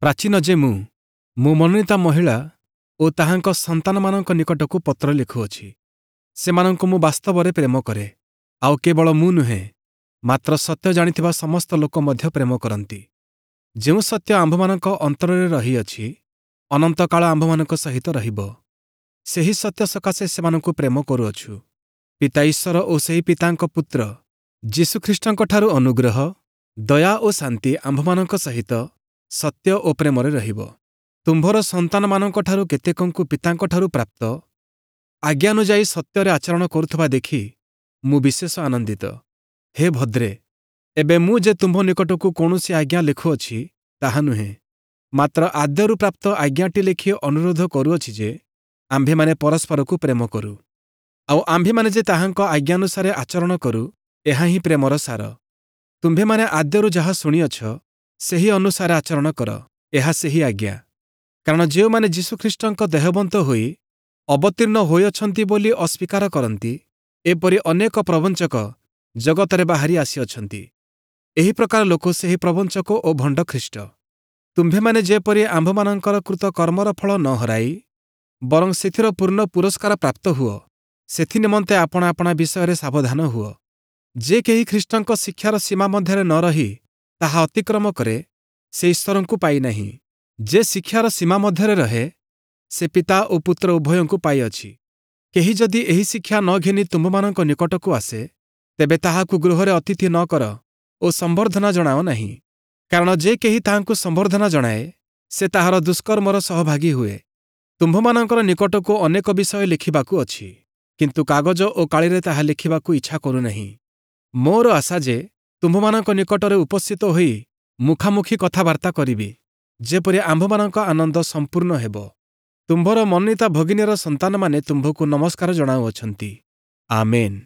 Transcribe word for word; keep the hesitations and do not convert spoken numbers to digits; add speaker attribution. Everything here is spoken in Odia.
Speaker 1: ପ୍ରାଚୀନ ଯେ ମୁଁ, ମୁଁ ମନୋନୀତା ମହିଳା ଓ ତାହାଙ୍କ ସନ୍ତାନମାନଙ୍କ ନିକଟକୁ ପତ୍ର ଲେଖୁଅଛି। ସେମାନଙ୍କୁ ମୁଁ ବାସ୍ତବରେ ପ୍ରେମ କରେ, ଆଉ କେବଳ ମୁଁ ନୁହେଁ, ମାତ୍ର ସତ୍ୟ ଜାଣିଥିବା ସମସ୍ତ ଲୋକ ମଧ୍ୟ ପ୍ରେମ କରନ୍ତି। ଯେଉଁ ସତ୍ୟ ଆମ୍ଭମାନଙ୍କ ଅନ୍ତରରେ ରହିଅଛି, ଅନନ୍ତକାଳ ଆମ୍ଭମାନଙ୍କ ସହିତ ରହିବ। ସେହି ସତ୍ୟ ସକାଶେ ସେମାନଙ୍କୁ ପ୍ରେମ କରୁଅଛୁ। ପିତା ଈଶ୍ୱର ଓ ସେହି ପିତାଙ୍କ ପୁତ୍ର ଯୀଶୁଖ୍ରୀଷ୍ଟଙ୍କଠାରୁ ଅନୁଗ୍ରହ, ଦୟା ଓ ଶାନ୍ତି ଆମ୍ଭମାନଙ୍କ ସହିତ ସତ୍ୟ ଓ ପ୍ରେମରେ ରହିବ। ତୁମ୍ଭର ସନ୍ତାନମାନଙ୍କଠାରୁ କେତେକଙ୍କୁ ପିତାଙ୍କଠାରୁ ପ୍ରାପ୍ତ ଆଜ୍ଞାନୁଯାୟୀ ସତ୍ୟରେ ଆଚରଣ କରୁଥିବା ଦେଖି ମୁଁ ବିଶେଷ ଆନନ୍ଦିତ। ହେ ଭଦ୍ରେ, ଏବେ ମୁଁ ଯେ ତୁମ୍ଭ ନିକଟକୁ କୌଣସି ଆଜ୍ଞା ଲେଖୁଅଛି, ତାହା ନୁହେଁ, ମାତ୍ର ଆଦ୍ୟରୁ ପ୍ରାପ୍ତ ଆଜ୍ଞାଟି ଲେଖି ଅନୁରୋଧ କରୁଅଛି ଯେ ଆମ୍ଭେମାନେ ପରସ୍ପରକୁ ପ୍ରେମ କରୁ। ଆଉ ଆମ୍ଭେମାନେ ଯେ ତାହାଙ୍କ ଆଜ୍ଞାନୁସାରେ ଆଚରଣ କରୁ, ଏହା ହିଁ ପ୍ରେମର ସାର। ତୁମ୍ଭେମାନେ ଆଦ୍ୟରୁ ଯାହା ଶୁଣିଅଛ, ସେହି ଅନୁସାରେ ଆଚରଣ କର, ଏହା ସେହି ଆଜ୍ଞା। କାରଣ ଯେଉଁମାନେ ଯୀଶୁଖ୍ରୀଷ୍ଟଙ୍କ ଦେହବନ୍ତ ହୋଇ ଅବତୀର୍ଣ୍ଣ ହୋଇଅଛନ୍ତି ବୋଲି ଅସ୍ୱୀକାର କରନ୍ତି, ଏପରି ଅନେକ ପ୍ରବଞ୍ଚକ ଜଗତରେ ବାହାରି ଆସିଅଛନ୍ତି। ଏହି ପ୍ରକାର ଲୋକ ସେହି ପ୍ରବଞ୍ଚକ ଓ ଭଣ୍ଡ ଖ୍ରୀଷ୍ଟ। ତୁମ୍ଭେମାନେ ଯେପରି ଆମ୍ଭମାନଙ୍କର କୃତ କର୍ମର ଫଳ ନ ହରାଇ ବରଂ ସେଥିର ପୂର୍ଣ୍ଣ ପୁରସ୍କାର ପ୍ରାପ୍ତ ହୁଅ, ସେଥି ନିମନ୍ତେ ଆପଣା ଆପଣା ବିଷୟରେ ସାବଧାନ ହୁଅ। ଯେ କେହି ଖ୍ରୀଷ୍ଟଙ୍କ ଶିକ୍ଷାର ସୀମା ମଧ୍ୟରେ ନ ରହି ତାହା ଅତିକ୍ରମ କରେ, ସେ ଈଶ୍ୱରଙ୍କୁ ପାଇନାହିଁ। ଯେ ଶିକ୍ଷାର ସୀମା ମଧ୍ୟରେ ରହେ, ସେ ପିତା ଓ ପୁତ୍ର ଉଭୟଙ୍କୁ ପାଇଅଛି। କେହି ଯଦି ଏହି ଶିକ୍ଷା ନ ଘେନି ତୁମ୍ଭମାନଙ୍କ ନିକଟକୁ ଆସେ, ତେବେ ତାହାକୁ ଗୃହରେ ଅତିଥି ନ କର ଓ ସମ୍ବର୍ଦ୍ଧନା ଜଣାଅ ନାହିଁ। କାରଣ ଯେ କେହି ତାହାଙ୍କୁ ସମ୍ବର୍ଦ୍ଧନା ଜଣାଏ, ସେ ତାହାର ଦୁଷ୍କର୍ମର ସହଭାଗୀ ହୁଏ। ତୁମ୍ଭମାନଙ୍କର ନିକଟକୁ ଅନେକ ବିଷୟ ଲେଖିବାକୁ ଅଛି, କିନ୍ତୁ କାଗଜ ଓ କାଳିରେ ତାହା ଲେଖିବାକୁ ଇଚ୍ଛା କରୁନାହିଁ। ମୋର ଆଶା ଯେ ତୁମ୍ଭମାନଙ୍କ ନିକଟରେ ଉପସ୍ଥିତ ହୋଇ ମୁଖାମୁଖି କଥାବାର୍ତ୍ତା କରିବି, ଯେପରି ଆମ୍ଭମାନଙ୍କ ଆନନ୍ଦ ସମ୍ପୂର୍ଣ୍ଣ ହେବ। ତୁମ୍ଭର ମନୋନୀତା ଭଗିନୀର ସନ୍ତାନମାନେ ତୁମ୍ଭକୁ ନମସ୍କାର ଜଣାଉଅଛନ୍ତି। ଆମେନ୍।